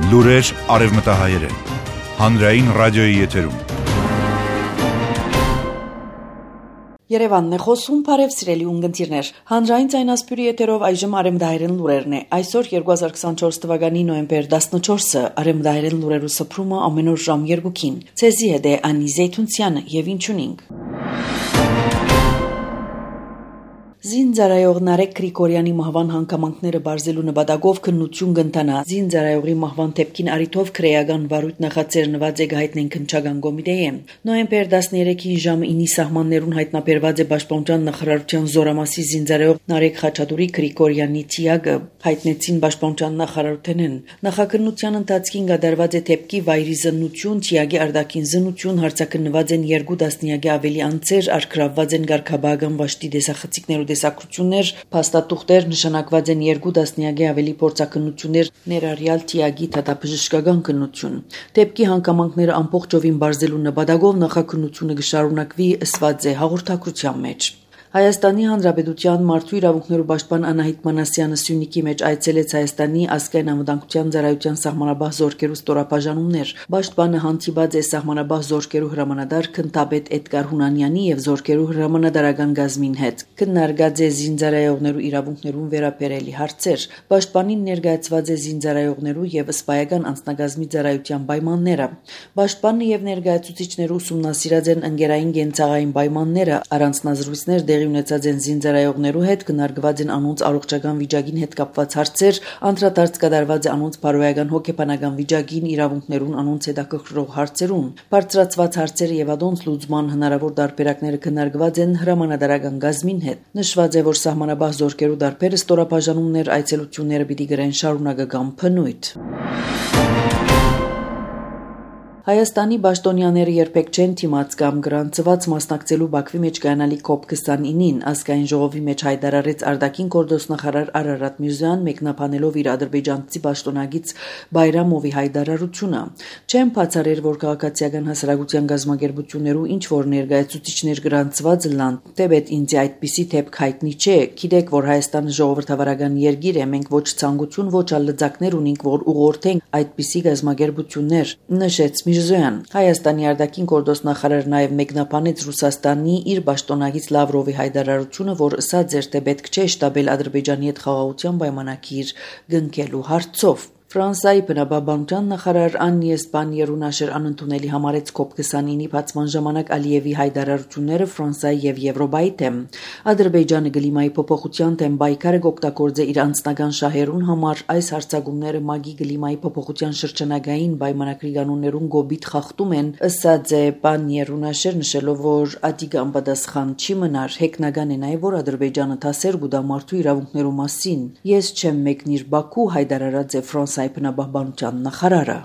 Լուրեր արևմտահայերեն, հանրային ռադիոյի եթերում։ Երևանն է խոսում, բարև սիրելի ունգընտիրներ։ Հանրային ձայնասպյուրի եթերով այժմ արևմտահայերեն լուրերն է։ Այսօր 2024 թվականի նոյեմբեր 14-ը արևմտահայերեն լուրերու սփռումը ամեն օր ժամ 2-ին։ Ցեզի հետ է Անի Զեյթունցյանը եւ ինչունինք։ Զինծառայող Նարեկ Գրիգորյանի մահվան հանգամանքները բարձելու նպատակով քննություն կընթանա։ Զինծառայողի մահվան դեպքին առիթով քրեական վարույթ նախաձեռնված է հայտնեն քննչական կոմիտեի։ Նոյեմբեր 13-ին ժամը 9-ի սահմաններուն հայտնաբերված է Պաշտպանության նախարարության զորամասի զինծառայող Նարեկ Խաչատուրի Գրիգորյանի թիակը, հայտնեցին Պաշտպանության նախարարութենեն։ Նախաքննության ընթացքին կատարված է դեպքի վայրի զննություն, թիակի արտաքին զննություն, հարցաքննված են 2 տասնյակի ավելի անձեր, արգրավված են ղարքաբական վաշտի դեսախցիկներ տեսակցություններ, փաստաթուղթեր, նշանակված են 2 տասնյակի ավելի փորձակնություններ, ներառյալ թիակի դատաբժշկական քննություն։ Դեպքի հանգամանքները ամբողջովին բարձելու նպատակով նախաքննությունը կշարունակվի, ըսված է հաղորդակցության մեջ։ Հայաստանի Հանրապետության Մարդու իրավունքներու պաշտպան Անահիտ Մանասյանը Սյունիքի մեջ այցելեց Հայաստանի ազգային անվտանգության ծառայության սահմանապահ զորքերու ստորապաժանումներ։ Պաշտպանը հանդիպած է սահմանապահ զորքերու հրամանատար Քնթապետ Էդգար Հունանյանի եւ զորքերու հրամանատարական գազմին հետ։ Քննարկած է զինծառայողներու իրավունքներուն վերաբերելի հարցեր։ Պաշտպանին ներկայացված է զինծառայողներու եւ սպայական անձնագազմի ծառայության պայմանները։ Պաշտպանը եւ ներկայացուցիչներու ուսումնասիրած են ընկերային կենցաղային պայմանները, առանձնազրույցներ տեղի ունեցած են զինծառայողներու հետ, քննարկված են անոնց առողջական վիճակին հետ կապված հարցեր, անդրադարձ կատարված է անոնց բարոյական հոգեբանական վիճակին, իրավունքներուն անոնց հետաքրքրող հարցերուն։ Բարձրացված հարցերը եւ անոնց լուծման հնարավոր տարբերակները քննարկված են հրամանատարական գազմին հետ։ Նշված է, որ սահմանապահ զորքերու դարբերը ստորապաժանումներ, այցելությունները պիտի գրեն շարունակական փնույթ։ Հայաստանի պաշտոնյաները երբեք չեն թիմած կամ գրանցված մասնակցելու Բաքվի մեջ կայանալի COP29-ին, ազգային ժողովի մեջ հայտարարեց արտաքին գործոստնախարար Արարատ Միրզոյան, մեկնաբանելով իր ադրբեջանցի պաշտոնագից Բայրամովի հայտարարությունը։ Չեն բացառել, որ քաղաքացիական հասարակության գազམ་ագերբություններու ինչ որ ներկայացուցիչներ գրանցված լան, թեպետ ինձ այդպիսի դեպք հայտնի չէ։ Գիտեք, որ Հայաստանը ժողովրդավարական երկիր է, մենք ոչ ցանկություն, ոչ ալլծակներ ունենք, որ ուղղորդենք այդպիսի գազམ_ագերբություններ, նշեց Հայաստանի արտաքին գործոստնախարարը նաև մեկնաբանեց Ռուսաստանի իր պաշտոնագից Լավրովի հայտարարությունը, որ ըսած էր, թե պետք չէ շտաբել Ադրբեջանի հետ խաղաղության պայմանագիր կնքելու հարցով։ Ֆրանսիայի բնապահպանության նախարար Աննի Էսպանիերունաշեր անընդունելի համարեց COP29-ի բացման ժամանակ Ալիևի հայտարարությունները Ֆրանսիայի եւ Եվրոպայի դեմ։ Ադրբեջանը կլիմայի փոփոխության դեմ պայքարը կօգտագործե իր անձնական շահերուն համար, այս հարձակումները ՄԱԳ-ի կլիմայի փոփոխության շրջանագային պայմանագրի կանոններուն գոբիթ խախտում են, ըսած է Պանիերունաշեր, նշելով, որ ադիգան պատասխան չի մնար։ Հեգնական է նաև, որ Ադրբեջանը դասեր կուտա մարդու իրավունքներու մասին։ Ես չեմ մեկնիր Բաքու, հայտարարած է Ֆրանսիայի բնապահպանության նախարարը։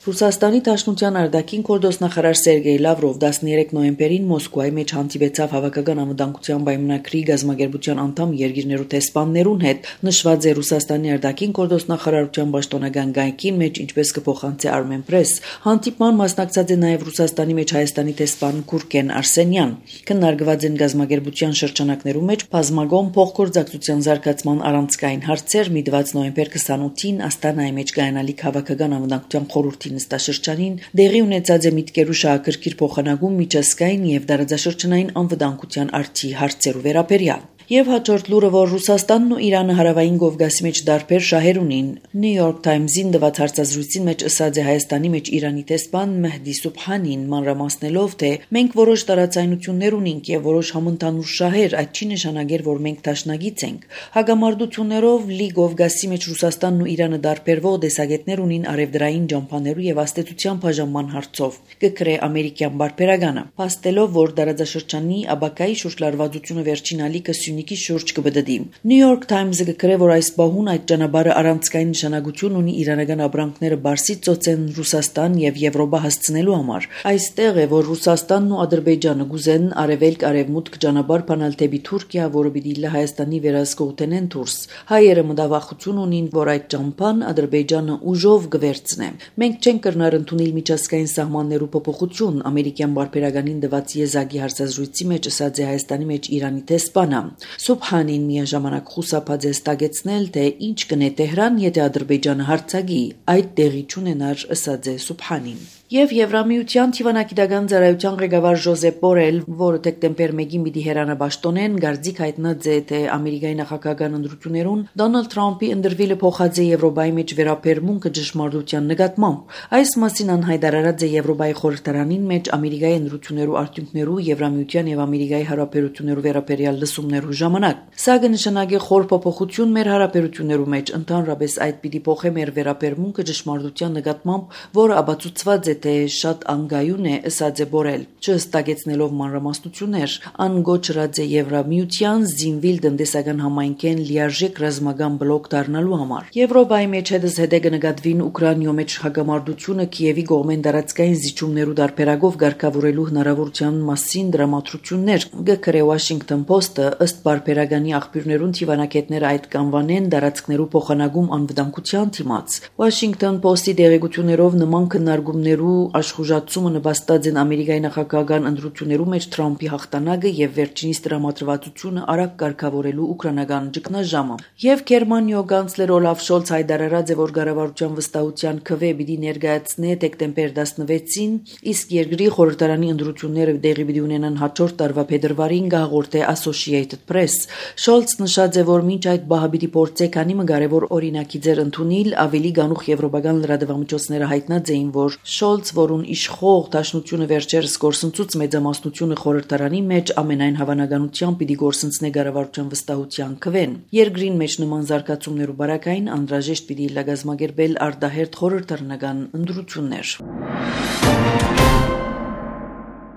Ռուսաստանի Դաշնության արտաքին գործոստնախարար Սերգեյ Լավրով 13 նոյեմբերին Մոսկվայի մեջ հանդիպեցավ հավաքական անվտանգության պայմանագրի գազམ་ագերբության անդամ երկիրներու տեսփաններուն հետ։ Նշված է Ռուսաստանի արտաքին գործոստնախարարության պաշտոնական գայքին մեջ, ինչպես կփոխանցի Armenpress։ Հանդիպման մասնակցած է նաև Ռուսաստանի մեջ Հայաստանի տեսփան Գուրգեն Արսենյան։ Քննարկված են գազམ_ագերբության շրջանակներու մեջ բազմագոն փոխգործակցության զարգացման առանցքային հարցեր, միտված նոյեմբեր 28-ին Աստանայի մեջ կայանալի հավաքական անվտանգության խորհրդի նստաշրջանին դեղի ունեցած է միտքերու շահագրգիռ փոխանակում միջազգային եւ դարաձաշրջանային անվտանգության արդի հարցերու վերաբերյալ։ Եվ հաջորդ լուրը, որ Ռուսաստանն ու Իրանը հարավային Կովկասի մեջ դարբեր շահեր ունին։ New York Times-ին տված հարցազրույցին մեջ ըսած է Հայաստանի մեջ Իրանի տեսփան Մեհդի Սուբհանին, մանրամասնելով, թե մենք որոշ տարածայնություններ ունենք եւ որոշ համընդհանուր շահեր, այդ չի նշանակել, որ մենք դաշնագից ենք։ Հագամարտություններով լի Կովկասի մեջ Ռուսաստանն ու Իրանը դարբերվող տեսակետներ ունին արևդրային ջամփաներու եւ աստեցության բաժանման հարցով։ Կգրե ամերիկյան բարբերականը, փաստելով, որ դարաձաշրջանի աբակայի շուրջ լարվածությունը վերջին ալիքը Սյունիքի շուրջ կբդդի։ New York Times-ը գրե, որ այս բահուն այդ ճանապարհը առանցքային նշանակություն ունի իրանական ապրանքները Բարսից ծոցեն Ռուսաստան եւ Եվրոպա հասցնելու համար։ Այստեղ է, որ Ռուսաստանն ու Ադրբեջանը գուզեն արևելք-արևմուտք ճանապարհ բանալ դեպի Թուրքիա, որը պիտի լա Հայաստանի վերահսկողութենեն դուրս։ Հայերը մտավախություն ունին, որ այդ ճամփան Ադրբեջանը ուժով կվերցնե։ Մենք չենք կրնար ընդունել միջազգային սահմաններու փոփոխություն, ամերիկյան բարբերականին տված եզակի հարցազրույցի մեջ ըսած է Հայաստանի մեջ Իրանի տեսփանը։ Սուբհանին միաժամանակ խուսափած է ստագեցնել, թե ինչ կնե Տեհրան, եթե Ադրբեջանը հարձակի, այդ տեղի չունենար, ըսած է Սուբհանին։ Եվ Եվրամիության թիվանակիտական ծառայության ղեկավար Ժոզեփ Բորել, որը դեկտեմբեր 1-ին պիտի հեռանաբաշտոնեն, գարձիկ հայտնած է, թե Ամերիկայի նախագահական ընտրություններուն Դոնալդ Թրամփի ընդրվելը փոխած է Եվրոպայի մեջ վերապերմունքը ճշմարտության նկատմամբ։ Այս մասին անհայտարարած է Եվրոպայի խորհրդարանին մեջ Ամերիկայի ընտրություններու արդյունքներու Եվրամիության եւ Ամերիկայի հարաբերություններու վերաբերյալ լսումներու ժամանակ։ Սա կնշանակի խոր փոփոխություն մեր հարաբերություններու մեջ, ընդհանրապես այդ պիտի փոխե մեր վերապերմունքը ճշմարտության նկատմամբ, որը ապացուցված է թե շատ անգայուն է, ըսած է Բորել, չհստակեցնելով մանրամասնություններ, անգոչրած է Եվրամիության զինվիլ տնտեսական համայնքեն լիարժեք ռազմական բլոկ դառնալու համար։ Եվրոպայի մեջ հետզհետե կնկատվին Ուկրաինայո մեջ հակամարտությունը Կիևի կողմեն տարածքային զիջումներու դարբերակով ղեկավարելու հնարավորության մասին դրամատրություններ, գկրե Washington Post-ը, ըստ բարբերականի աղբյուրներուն թիվանակետները այդ կանվանեն տարածքներու փոխանակում անվտանգության դիմաց։ Washington Post-ի դերեկություններով նման քննարկումներու աշխուժացումը նպաստած են Ամերիկայի նախագահական ընտրություններու մեջ Թրամփի հաղթանակը եւ վերջինիս տրամադրվածությունը արագ կարգավորելու ուկրաինական ճգնաժամը։ Եվ Գերմանիո կանցլեր Օլաֆ Շոլց հայտարարած է, որ կառավարության վստահության քվե պիտի ներկայացնե դեկտեմբեր 16-ին, իսկ երկրի խորհրդարանի ընտրությունները տեղի պիտի ունենան հաջորդ տարվա փետրվարին, հաղորդե Associated Press։ Շոլց նշած է, որ մինչ այդ բահը պիտի փորձե քանի մը կարևոր օրինակի ձեր ընդունել, ավելի գանուխ եվրոպական լրատվամիջոցները հայտնած էին, որ Շոլց, որուն իշխող դաշնությունը վերջերս գործընծուց մեծամասնությունը խորհրդարանի մեջ ամենայն հավանականությամբ պիտի գործընծնե կառավարության վստահության քվեն։ Երկրին մեջ նման զարգացումներու բարակային անհրաժեշտ պիտի լագազմագերբել արտահերթ խորհրդարանական ընտրություններ։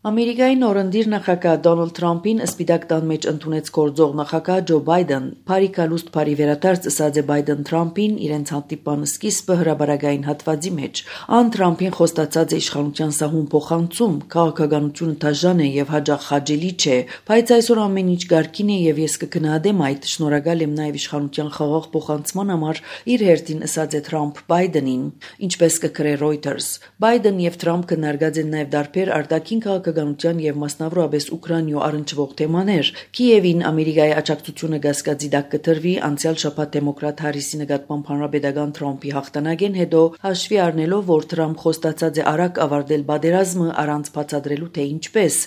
Ամերիկայի նորընտիր նախագահ Դոնալդ Թրամփին Սպիտակ տան մեջ ընդունեց գործող նախագահ Ջո Բայդեն։ Փարի կալուստ Փարի վերադարձ ըսած է Բայդեն Թրամփին իրենց հանդիպան սկիզբը հրաբարակային հատվածի մեջ։ Ան Թրամփին խոստացած է իշխանության սահուն փոխանցում, քաղաքականությունը դաժան է եւ հաջող խաջելի չէ, բայց այսօր ամեն ինչ կարգին է եւ ես կգնահատեմ այդ, շնորհակալ եմ նաեւ իշխանության խաղաղ փոխանցման համար, իր հերթին ըսած է Թրամփ Բայդենին, ինչպես կգրե Reuters։ Բայդեն եւ Թրամփ կնարգած են նաեւ դարբեր արտաքին քաղաքականության եւ մասնավորապես Ուկրաինայո առնչվող թեմաներ։ Կիևին Ամերիկայի աջակցությունը գասկածի տակ կտրվի անցյալ շաբաթ դեմոկրատ Հարիսի նկատմամբ հանրապետական Թրամփի հաղթանակեն հետո, հաշվի առնելով, որ Թրամփ խոստացած է արագ ավարտել պատերազմը առանց բացատրելու թե ինչպես։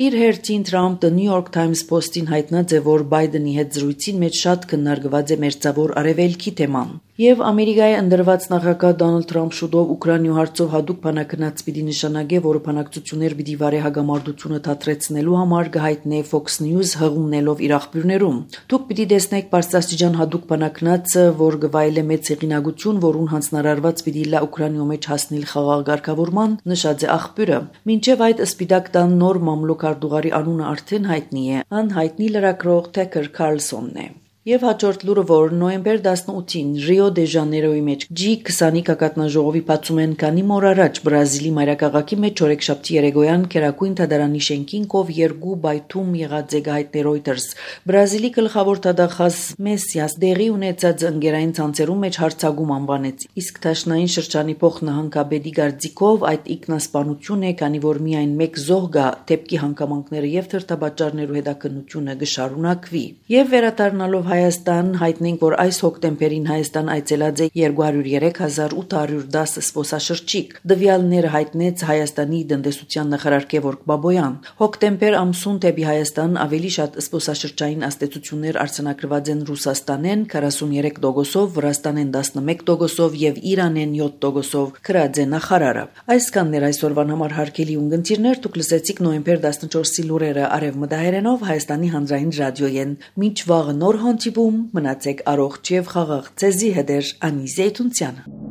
Իր հերթին Թրամփ The New York Times Post-ին հայտնած է, որ Բայդենի հետ զրույցին մեջ շատ քննարկված է մերձավոր արևելքի թեման։ Եվ Ամերիկայի ընդրված նախագահ Դոնալդ Թրամփ շուտով Ուկրաինայո հարցով հատուկ բանակնած պիտի նշանակե, որ բանակցություններ պիտի վարե հագամարտությունը դադրեցնելու համար կհայտնե Fox News հղումնելով իր աղբյուրներում։ Դուք պիտի տեսնեք բարձրաստիճան հատուկ բանակնածը, որ գվայել է մեծ հեղինակություն, որուն հանձնարարված պիտի լա Ուկրաինայո մեջ հասնել խաղաղ ղեկավարման, նշած է աղբյուրը։ Մինչև այդ Սպիտակ տան նոր մամլոք արտուղարի անունը արդեն հայտնի է, անհայտնի լրագրող Թեքեր Քարլսոնն է։ Եվ հաջորդ լուրը, որ նոյեմբեր 18-ին Ռիո դե Ժանեյրոյի մեջ G20 կակատնաժողովի բացում են քանի օր առաջ Բրազիլի մայրաքաղաքի մեջ օրեքշաբթի երեկոյան Քերակույն Թադարանի շենքին կով երկու բայթում եղած է հայտնի Reuters։ Բրազիլի գլխավոր տվյալախազ Մեսիաս դեղի ունեցած ընկերային ցանցերում մեջ հարցակում անվանեց, իսկ Թաշնային շրջանի փոխնահանգապետի գարձիկով այդ ինքնասպանություն է, քանի որ միայն մեկ զոհ կա, դեպքի հանգամանքները եւ թրթաբաճարներու հետաքննությունը կշարունակվի։ Եվ վերադառնալով Հայաստան հայտնենք, որ այս հոկտեմբերին Հայաստան այցելած է 203,810 զբոսաշրջիկ։ Դվյալները հայտնեց Հայաստանի տնտեսության նախարար Գևորգ Բաբոյան։ Հոկտեմբեր ամսուն դեպի Հայաստան ավելի շատ զբոսաշրջային աստեցություններ արձանագրված են Ռուսաստանեն 43%, Վրաստանեն 11% եւ Իրանեն 7%, գրած է նախարարը։ Այսքանն էր այսօրվան համար հարգելի ունկնդիրներ, դուք լսեցիք նոյեմբեր 14-ի լուրերը արևմտահայերենով Հայաստանի հանրային ռադիոյեն։ Մինչ վաղը նոր հանդիպում, մնացեք առողջ եւ խաղաղ։ Ձեզի հետ է Անի Զեյթունցյանը։